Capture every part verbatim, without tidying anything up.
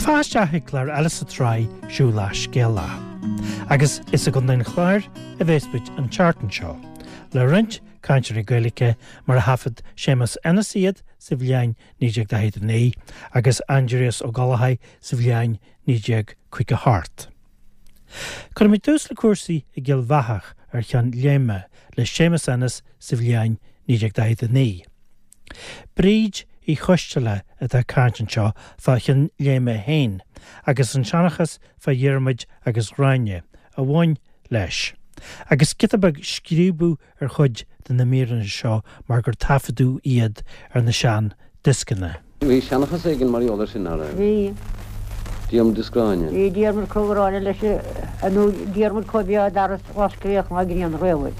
Céad fáilte isteach ag clár eile sa tsraith Siúlach Scéalach. Agus is i gContae an Chláir a bheas muid an tseachtain seo, le roinnt cainteoirí Gaeilge mar a thaifead Séamus Ennis iad sa bhliain naoi déag daichead a naoi agus Aindrias Ó Gallchóir sa bhliain naoi déag caoga a hocht. Cuirfimid tús le cúrsaí i gCill Bheathach ar Cheann Léime le Séamus Ennis sa bhliain naoi déag daichead a naoi. Bríd Uí Choisteala atá ag caint anseo fá Chionn Léime féin agus an seanchas fá Dhiarmuid agus Ghráinne a bhain leis. Agus giota beag scríobadh ar chuid de na míreanna seo mar gur taifeadadh iad ar na sean dioscanna. Bhí seanchas éigin mar gheall air sin, nach raibh? Bhí. Diarmuid is Gráinne. Bhí Diarmuid comh gránna leis nó Diarmuid comh beo dar osclaíodh ná grian riamh.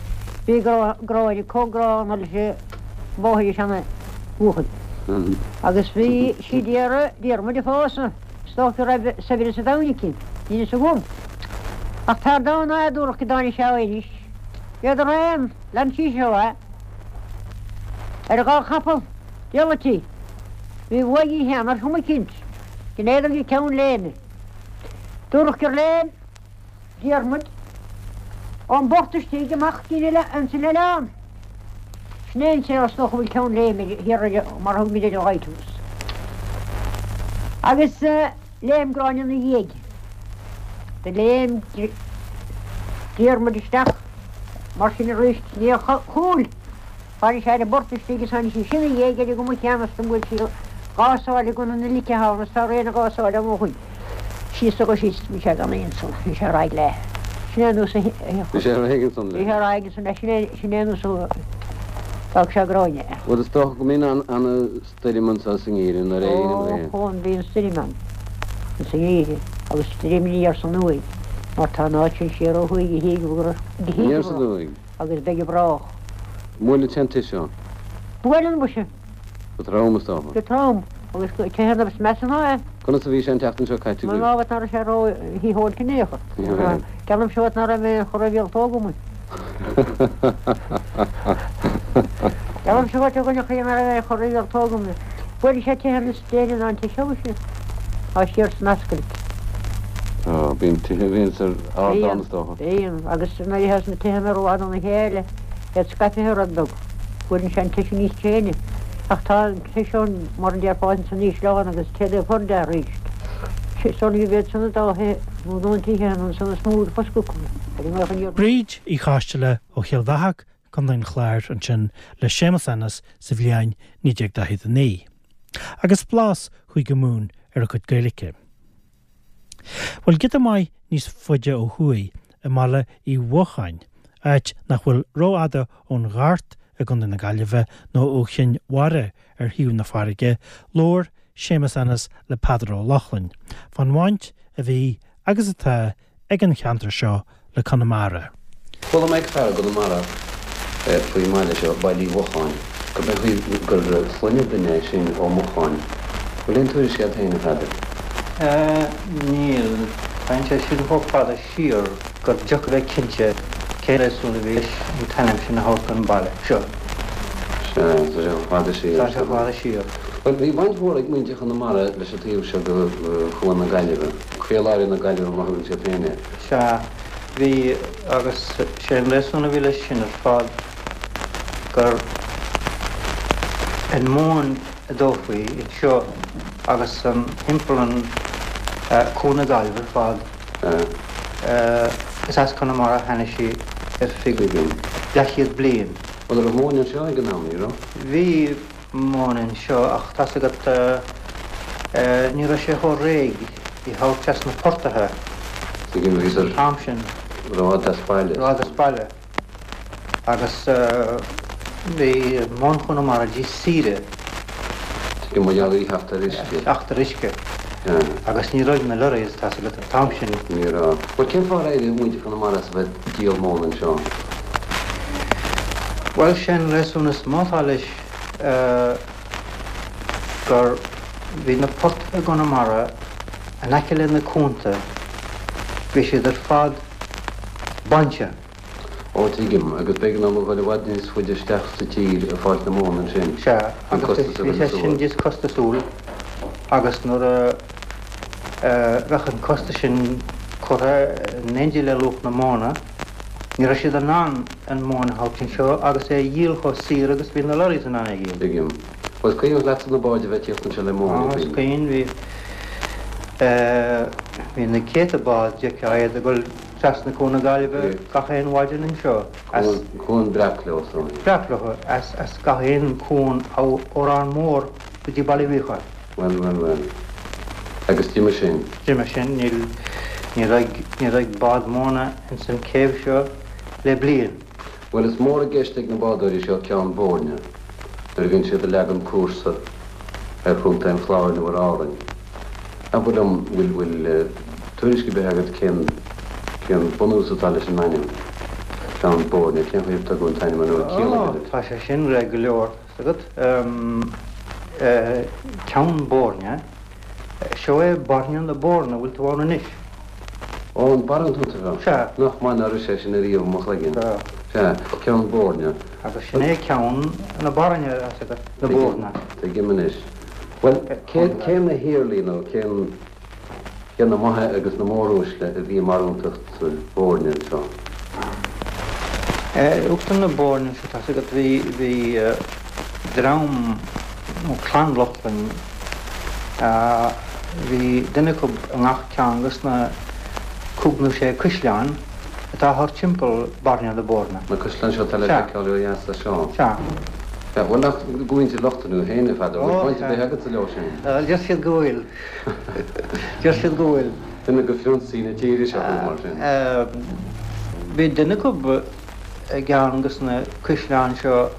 Bhí Gráinne comh gránna leis an mháthair seana bhuachaill. Agus bhí sí d'iarraidh Diarmuid a phósadh. Is dócha go raibh saibhreas an domhain aici. Níl fhios agam. Ach tar dá nádúrach go dtáinig sé anois. Bhíodar aon, lean sí seo é. Ar a dhá chapall, diallaití. Bhí uaidh cheana ar chuma eicínt, go n-éadar go Ceann Léime. Dúradh gur léim Diarmuid ón bport istigh amach dtí'n ansan oileán. Sin é an saol is dócha a bhfuil Ceann Léime thiar ar mar a thug muid ar an Lighthouse. Agus léim Gráinne ina dhiaidh. Do léim Diarmuid isteach mar sin arís ina chúl. Tháinig sé ar an bport istigh is tháinig sí sin ina dhiaidh ar an gcuma chéanna is do bhuail sí dhá sáile gunna na lice ann is tá rian a dhá sáile ann ó shoin. Síos agus síos bhí sé gan aon san, bhí sé ar aghaidh le. Sin é an nós a Bhí sé ar aghaidh ansan le. Bhí sé ar aghaidh ansan le, sin é sin é an nós a d'fhág sé Gráinne. Bhuel is dócha go mbíonn an-stoirm anso sa ngeimhreadh nuair a éiríonn an ghrian. Ó, bíonn stoirm ann sa ngeimhreadh agus stoirm aniar is aduaidh mar tá an áit sin siar ó thuaidh go híogair go Aniar is aduaidh. agus beidh a brách. Buaileann sé an tigh seo. Buaileann muise. Go trom is dócha. Go trom agus tithe is measa ná é. Conas a bhí sé an tseachtain seo caite Mar ná ná raibh sé ró-shítheoilte in aon chor. Ceannaim seo ná raibh mé chur a bhíol tógam. Ceannaim seo a dhuine chuí ná raibh mé chur a bhíol tógam. Buaileann sé tithe na déine ná an tigh seo sin. Tá siar san ascaill. Tá, bíonn tithe a bhíonn ar ardán is dócha. Bíonn, agus nuair a théas na tithe ar fhad óna chéile, iad scaipthe rud beag. Buaileann sé an tigh sin níos tréine. Ach tá an tigh seo mar an déarfá san ísleán agus téad é chur de arís. San ní bhead san dá thithe nó don tithe an san is mó foscadh acu. Bríd Uí Choisteala ó Chill Bheathach, Contae an Chláir ansin le Séamus Ennis sa bhliain naoi déag daichead a naoi. Agus blas Chúige Mumhan ar a cuid Gaeilge. Bhuel giota maith níos faide ó thuaidh i mBaile Uí Mhocháin, áit nach bhfuil rófhada ón Ghort i gContae na Gaillimhe nó ó Chinn Mhara ar thaobh na farraige, labhair Séamus Ennis le Peadar Ó Lochlainn, fán bhaint a bhí agus atá ag an cheantar seo le Conamara. Chuala mé ag fear i gConamara faoin mbaile seo, Baile Uí Mhocháin, gur b'é gur sloinne duine é sin Ó Mocháin. Bhfuil aon tuairisc agat féin, a Pheadair? Níl. Téann sé sin chomh fada siar gur deacair bheith cinnte cén réasún a bhí leis an t-ainm sin a thabhairt don bhaile seo. Sea, tá sé chomh fada siar. Tá sé chomh fada siar. Bhuel, bhí baint mhór ag muintir Chonamara leis an taobh seo de Chuan na Gaillimhe, Caoláire na Gaillimhe mar a thugann siad féin air. Sea, bhí, agus sé an réasún a bhí leis sin ar fad gur an mhóin a dófaí anseo agus an thimpeall an Cuan na Gaillimhe ar fad. Is as Conamara a tháinig sí ar feadh leathchéad bliain. Bhuel, raibh móin anseo ag an am, ní raibh? Bhí móin anseo ach tá's agat ní raibh sé chomh réidh í thabhairt as na portaithe an t-am sin. Rófhada as baile. Rófhada as baile. Agus bhí móin Chonamara níos saoire. Tuigim, mar gheall ar theacht ar uisce. Teacht ar uisce. Agus ní raibh na lorries, tá's agat, an t-am sin. Ní raibh. Bhuel, cén fáth ar éirigh muintir Chonamara as a bheith ag díol móna anseo? Bhuel, sé an réasún is mó atá leis gur bhí na portaithe i gConamara in aice le na cuanta, bhí siad ar fad bainte. Ó, tuigim, agus b'éigean dóibh a dhul i bhfad níos faide isteach sa tír ag fáilt na móna ansin. Sea, agus bhí sé sin níos costasúil agus nuair a Bheadh an costas sin curtha in éindí le luach na móna. Ní raibh siad in ann an mhóin a thabhairt anseo agus é a dhíol chomh saor agus bhí na lorries in ann é a dhíol. Tuigim. Bhuel, is cuimhin leatsa na báid a bheith ag tíocht anseo le móin, Ó, is cuimhin. Bhí, bhí na céadta bád, d'fheicfeá iad ag dul trasna Cuan na Gaillimhe gach aon mhaidin anseo as. Cuan breac leo, is dóigh. Breac leo, as, as gach aon chuan ó Órán Mór go dtí Baile Uí Mhíocháin. Bhuel, bhuel, bhuel. Agus d'imigh sin? D'imigh sin. Níl, ní raibh, ní raibh bád móna ins an céibh seo le bliain. Bhuel, is mór i gceist ag na bádóirí seo Ceann Boirne nuair a bhíonn siad ag leagan cúrsa ar Chontae an Chláir nó ar Árainn. Abair liom, bhfuil, bhfuil tuairisc ar bith agat cén, cén bunús atá leis an ainm, Ceann Boirne, cén chaoi ar tugadh an t-ainm nó an ciall Ó, tá sé sin réidh go leor, 's agat. Ceann Boirne, seo é Bairne na Boirne, bhfuil tú ann anois? Ó, an barúntacht a bheadh. Sea. Nach maith ná raibh sé sin ariamh i mo chloigeann. Sea. Sea, Ceann Boirne. Agus sin é ceann na Bairne, 's agat, na Boirne. Tuigim anois. Bhuel, cé, cé na hiarlaí nó cén, cé na maithe agus na móruaisle a bhí i mbarúntacht Bhoirne anseo? Uachtar na Boirne anseo, tá's agat, bhí, bhí dream nó clann Lochlainn, bhí duine acu i ngach ceann de na cúig nó sé caisleán atá thart timpeall Bairne na Boirne. Na caisleáin seo atá le feiceáil ó dheas as seo. Sea. Sea, bhuel nach de mhuintir Lochlainn thú féin, a Pheadair, bhfuil baint ar bith agatsa leo sin? Deir siad go bhfuil. Deir siad go bhfuil. Duine de phrionsaí na tíre seo thú, mar sin. Bhí duine acu i gceann de na caisleáin seo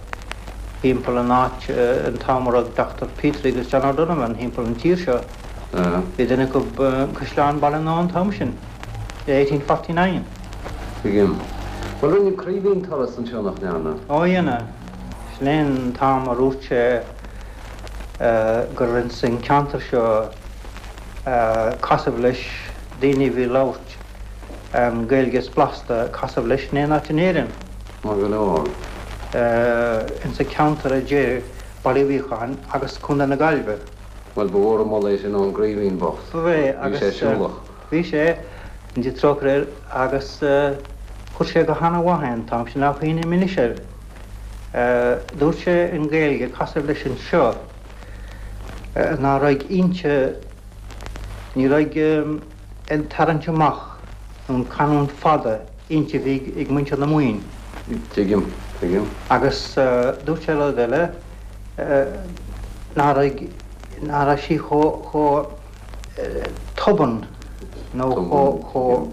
thimpeall an áit an t-am a raibh Dochtúir Petrie agus John O'Donovan thimpeall an tír seo. Bhí duine acu i gCaisleán Bhaile an Átha an t-am sin, i eighteen forty nine. Tuigim. Bhuel, rinne Craoibhín turas anseo, nach ndearna? Ó, dhein. Sin é an t-am a dhúirt sé gur ins an ceantar seo casadh leis daoine a bhí ag labhairt an Ghaeilge is blasta casadh leis in aon áit in Éirinn. Maith go leor. Ins an ceantar a deir Baile Uí Mhíocháin agus Contae na Gaillimhe. Bhuel, ba mhór an moladh é sin ón gCraoibhín bocht. Ba é, Bhí agus sé siúlach. bhí sé, go ndéana Dia trócaire air, agus chuir sé go hana-mhaith é an t-am sin, ach cuimhním anois air. Dúirt sé in Gaeilge, casadh leis anseo, ná raibh inti, ní raibh an tarraingt amach nó an canúint fada inti a bhí ag muintir na Mumhan. Tuigim, tuigim. Agus dúirt sé rud eile, ná raibh, ná raibh sí chomh, chomh tobann nó chomh, chomh.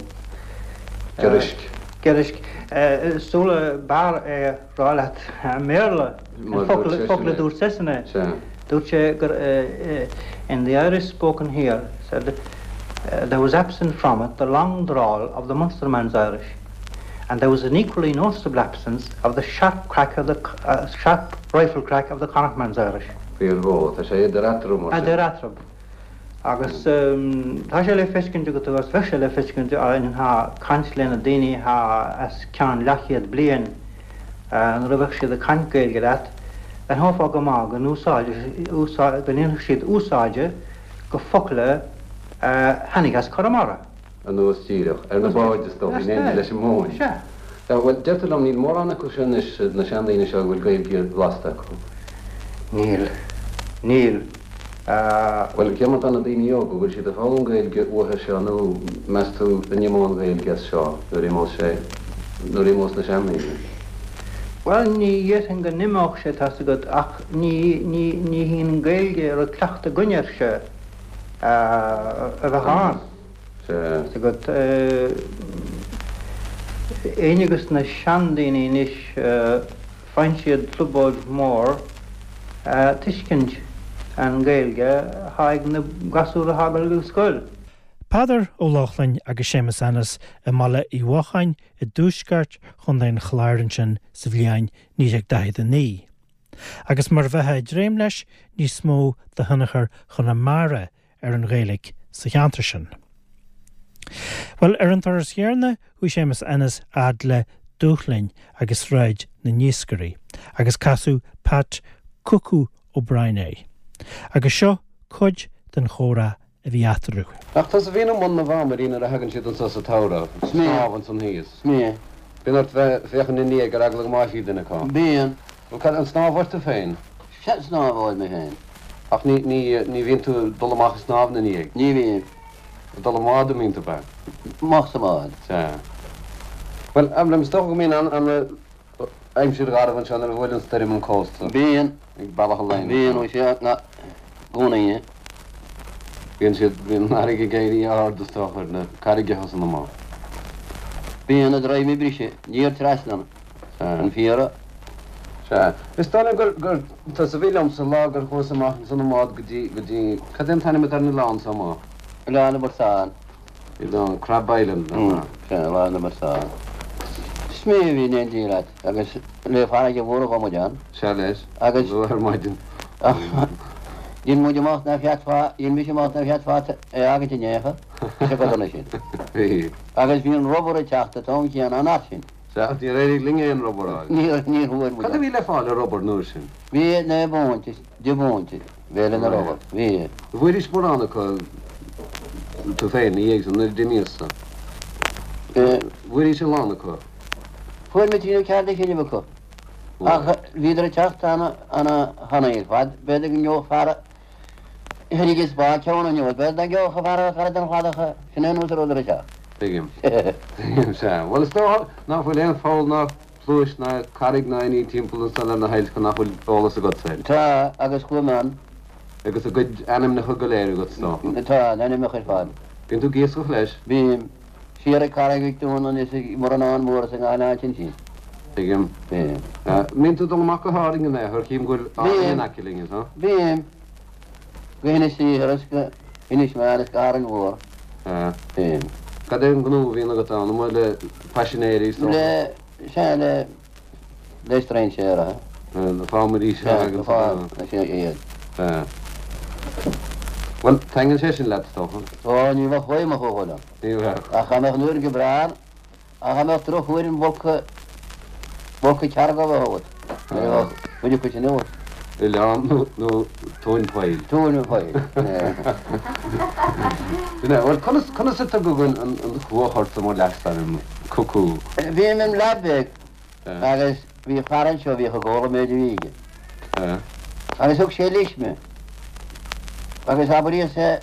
Giorraisc. Giorraisc. Is dóigh b'fhearr é a rá leat i mBéarla, an focal, focal a dúirt seisean é. Dúirt sé gur in the Irish spoken here, said, there was absent from it the long drawl of the Munsterman's Irish, and there was an equally noticeable absence of the sharp crack of the, uh, sharp rifle crack of the Connachtman's Irish. Fíor mhó, tá sé idir eatarthu mar sin. Idir eatarthu. Agus tá sé le feiscint agat agus bheadh sé le feiscint ag caint le na daoine atá os cionn leathchéad bliain nuair a bheadh siad ag caint Gaeilge leat, d'aithneofá go maith go n-úsáid, go ndéanfadh siad úsáide go focla a tháinig as Conamara. Anuas díreach, ar na báid is dóigh, in éindí leis an móin. Sea. Bhuel, deirtear liom, níl mórán acu seo anois, na seandaoine seo a bhfuil Gaeilge bhlasta acu. Níl. Níl. Bhuel, cé mar atá na daoine óga, bhfuil siad ag foghlaim Gaeilge uathu seo nó meas tú an imeoidh an Ghaeilge as seo nuair a imeos sé, nuair a imeos na seandaoine? Bhuel, ní dhéarfainn go n-imeodh sé, tá's agat, ach ní, ní, ní hí an Ghaeilge a raibh cleachtadh againn uirthi a bheadh ann. Sea. Tá's agat, éinne de na seandaoine anois, faigheann siad trioblóid mhór tuiscint an Ghaeilge atá ag na gasúir atá ag dul go scoil. Peadar Ó Lochlainn agus Séamus Ennis i mBaile Uí Mhocháin i dtuaisceart Chontae an Chláir ansin sa bhliain naoi déag daichead a naoi. Agus mar a bheifeá ag dréim leis, níos mó de thionchar Chonamara ar an Ghaeilge sa cheantar sin. Bhuel, ar an turas chéanna, chuaigh Séamus Ennis fhad le Dúshlinn agus Sráid na nIascairí agus casadh Pat Cuckoo O'Brien air. Agus seo cuid den chomhrá a bhí eatarthu. Ach tusa a bhíonn i mbun na bhfámairí nuair a thagann siad anso sa tsamhradh, snámh ansan thíos. Is mé. Bíonn ort bheith féachaint ina ndiaidh ar eagla go mbáithfí duine acu. Bíonn. Bhuel, cad, an snámh ort féin? Sea, snámh mé féin. Ach ní, ní, ní bhíonn tú ag dul amach ag snámh ina ndiaidh? Ní bhíonn. Ag dul i mbád a mbíonn tú, ab ea? Amach sa mbád. Sea. Bhuel, abair liom, is dócha go mbíonn an, an, aimsir gharbh anseo nuair a bhuaileann stoirm an cósta. Bíonn. Ag Bealach an Laighin. Bíonn, ó sea, i gcónaí. Bíonn siad, bíonn an fharraige ag éirí ard is dócha ar na carraigeacha san amach. Bíonn na droim ag briseadh, níor trasna an fiara. Sea. Is dóigh liom gur, gur tusa a bhí liomsa lá gur chuas amach ansan i mbád go dtí, go dtí, cad é an t-ainm atá ar an oileán so amach? Oileán na bPortán. Oileán, Crab Island, nach ea? Sea, Oileán na bPortán. Is mé a bhí in éindí leat agus le farraige mhór a ghabh muid ann. Sea leis. Agus. Luath ar maidin. Dhein muid amach ná féadfá, dhein mise amach ná féadfá é a fhágaint in aon chor, is a gcodanna sin. Bhí. Agus bhí an rubber ag teacht an t-am céanna an fhad sin. Sea, ach níor éirigh linn aon rubber a fháil. Níor, níor fuair muid. Cad a bhí le fáil ar rubber an uair sin? Bhí naoi bpunt, deich bpunt, bhéile na rubber. Bhí. Bhfuairis mórán acu tú féin, ina dhiaidh san, nuair a d'imíos-sa? Bhfuairis a lán acu? Fuair mé trí nó ceathair de chinnibh acu. Ach bhíodar ag teacht ana, ana thanaí ar fad. B'fhéidir go ngeobhadh fear thrí is bá ceann inniu, b'fhéidir nach ngeobhadh fear cara den chladach, sin é an nós a rabhadar ag teacht. Tuigim. Tuigim, sea. Bhuel, is dócha nach bhfuil aon pholl ná pluais ná carraig ná aon ní timpeall ansan ar na hailt nach bhfuil eolas agatsa air. Tá, agus chuaigh mé ann. Agus a gcuid ainmneacha go léir agat, is dócha. Tá, na hainmneacha ar fad. Bíonn tú ag iascach leis? Bím. Siar ag Carraig Mhic Dúna is ag Muireanán Mór is i ngach áit ansin. Tuigim. Bím. Mbíonn tú ag dul amach go hÁrainn in aon chor, chím go bhfuil Árainn in aice linn, is ea? Bím. Go hInis Oírr is go hInis Meáin is go hÁrainn Mhór. Bím. Cad é an gnó a bhíonn agat ann, amuigh le paisinéirí is dócha? Le, sea, le, le strainséara. Na fámairí, sea, agus. Sea, iad. Sea. Bhuel, taitníonn sé sin leat, is dócha? Ó, ní bheadh uaim ach ó dhul ann. Ní bheadh. Ach dá mbeadh an uair go breá ann, ach dá mbeadh drochuair an bhfolcadh, folcadh cearc a bheith agat. Ní bheadh cuid acu sin agat. Oileán nó, nó tóin poill. Tóin poill. Sin é. Bhuel, conas, conas a tugadh an, an, an chuach ortsa mar leasainm, Cucú? Bhí mé im leaid beag agus bhí fear anseo a bhíodh ag ól an méid a bhí aige. Agus thug sé leis mé. Agus abraíodh sé,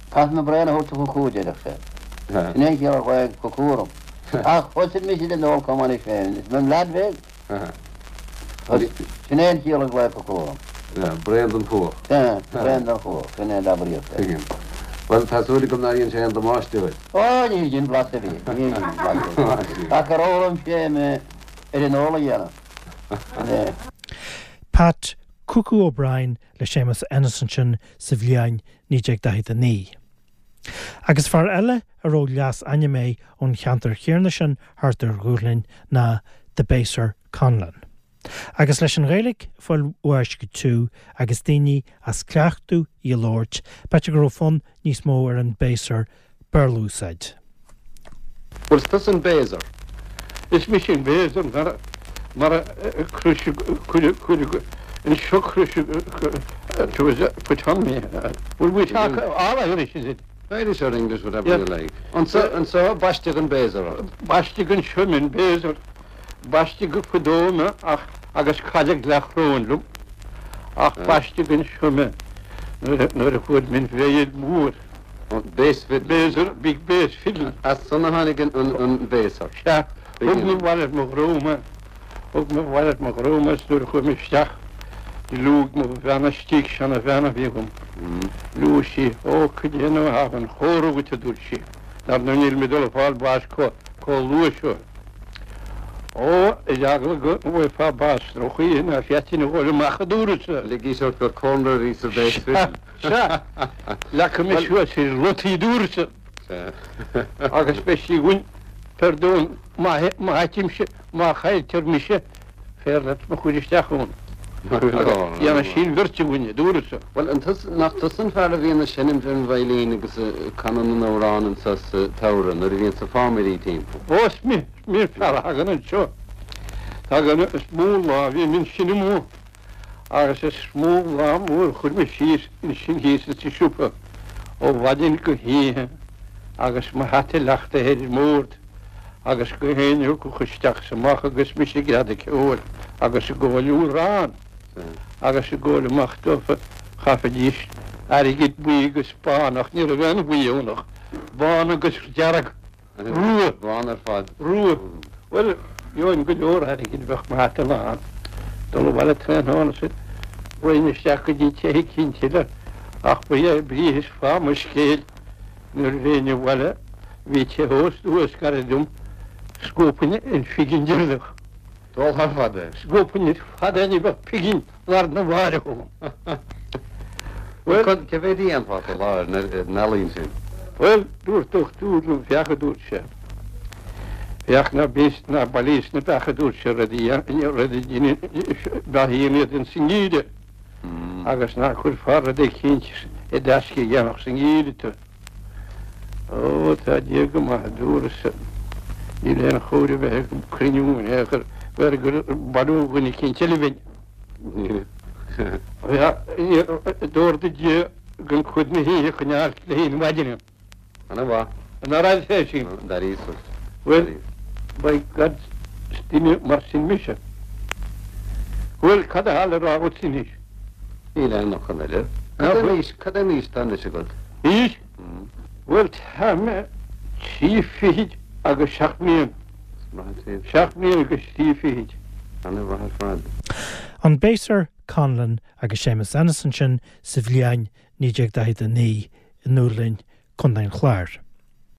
Caithfidh mé braon a thabhairt do Chucú, a deireadh sé. Sin é an chiall ar ghlaoigh Cucú orm. Ach thosaigh mise den ól chomh maith leis féin. Is mé im leaid bheag. Sin é an chiall ar ghlaoigh Cucú orm. Braon den chuach. Sea, braon den chuach. Sin é a abraíodh sé. Tuigim. Bhuel, tá súil agam nár dhein sé aon damáiste duit. Ó, níor dhein blas ar bith. Níor dhein blas ar bith. Ach gur fhoghlaim sé mé ar an ól a dhéanamh. Sin é. Pat Cuckoo O'Brien le Séamus Ennis ansin sa bhliain naoi déag daichead a naoi. Agus fear eile a raibh leasainm air ón cheantar chéanna sin thart ar Dhúshlinn ná The Baser Conlon. Agus leis an Ghaeilge ag fáil bháis go tiubh agus daoine as cleachtadh í a labhairt, b'fhéidir go raibh fonn níos mó ar an Baser Béarla a úsáid. Bhuel, is tusa an Baser. Is mise an Baser mar mar a cuireadh cuireadh anseo cuireadh put on me. Well, we talk all Irish, is it? Irish or English, whatever you like. Anso, anso baisteadh an Baser ort. Baisteadh anseo mé an Baser. Baisteadh fadó mé ach agus cailleadh leathchróin liom. Ach baisteadh anseo mé nuair a fuair mé an veidhil mhór. Bass fiddle. Baser, big bass fiddle. As san a tháinig an an Baser. Sea, thug mé abhaile mo dhruma, thug mé abhaile mo dhruma is nuair a chuaigh mé isteach liúigh mo bhean istigh, seanabhean a bhí agam. Liúigh sí, Ó, cad é nó a thagann chóir agat, a dúirt sí, dar ndóigh níl mé ag dul ag fáil báis chomh luath seo. Ó, ar eagla go bhfaighfeá bás droch-chaoi ná féadfainn a dhul amach, a dúradh-sa. Ligís ort gur cónra a bhí sa bass fiddle. Sea, leagfaidh mé suas ar lataí, a dúradh-sa. Agus beidh sí againn, pardon, má fhaightear, má chailltear mise, féar leat mo chur isteach ann. Dhéanfaidh sí an bheirt againn, a dúradh-sa. Bhuel, an tusa, nach tusa an fear a bhíonn ag seinm ar an veidhlín agus ag canadh na n-amhrán anso sa tsamhradh nuair a bhíonns na fámairí timpeall? Ó, is mé, is mé an fear a thagann anseo. Tagann, is mó lá a bhím ansin amuigh agus is mó lá mór a chuir mé síos ansin thíos insa siopa. ó mhaidin go hoíche agus mo hata leachta ar an mbord agus gach éinne a thiocfadh isteach is amach agus mise ag greadadh ceoil agus ag gabháil amhrán agus ag gabháil amach dófa chaithfidís airgead buí agus bán ach ní raibh aon bhuí ann ach bán agus dearg rua. Bán ar fad. Rua. Bhuel, gheobhainn go leor airgid, bheadh mo hata lán. Dul abhaile tráthnóna is raghainn isteach go dtí tithe eicínt eile ach ba é brí is fáth mo scéil nuair a bheinn abhaile bhí teach ósta thuas gairid dom, scuabfainn an phingin deireanach. Dul thar fad é. Scuabfainn ar fad é ní bheadh pingin lá arna mháireach agam. Bhuel, cé mhéad a dhéanfá sa lá ar an ealaín sin? Bhuel, dúirt dochtúir liom, féach a dúirt sé, féach ná bíos ná bailíos na beacha a dúirt sé, rud a rud a beathaíonn iad ins an ngeimhreadh agus ná cuirfeá rud eicínt i dtaisce a dhéanfadh sa ngeimhreadh tú. Ó, tá Dia go maith, a dúras-sa, níl aon chóir a bheith ag cruinniú in aon chor, b'fhearr gur bailiú dhuine eicínt eile bhinn. D'ordaigh Dia gan cuid na hoíche a choinneáil le haghaidh na maidine. Ana mhaith. An raibh sé sin? D'airíos. Bhuel, by God, is duine mar sin mise. Bhuel, cad atá le rá agat anois? Níl aon fhocal eile. Cad é an aois, cad é an aois atá anois agat? Aois? Bhuel, tá mé trí fichid agus seacht mbliana. Seacht mbliana agus trí fichid. Ana mhaith ar fad. An Baser Conlon agus Séamus Ennis ansin sa bhliain naoi déag daichead a naoi i nDúlainn, Contae an Chláir.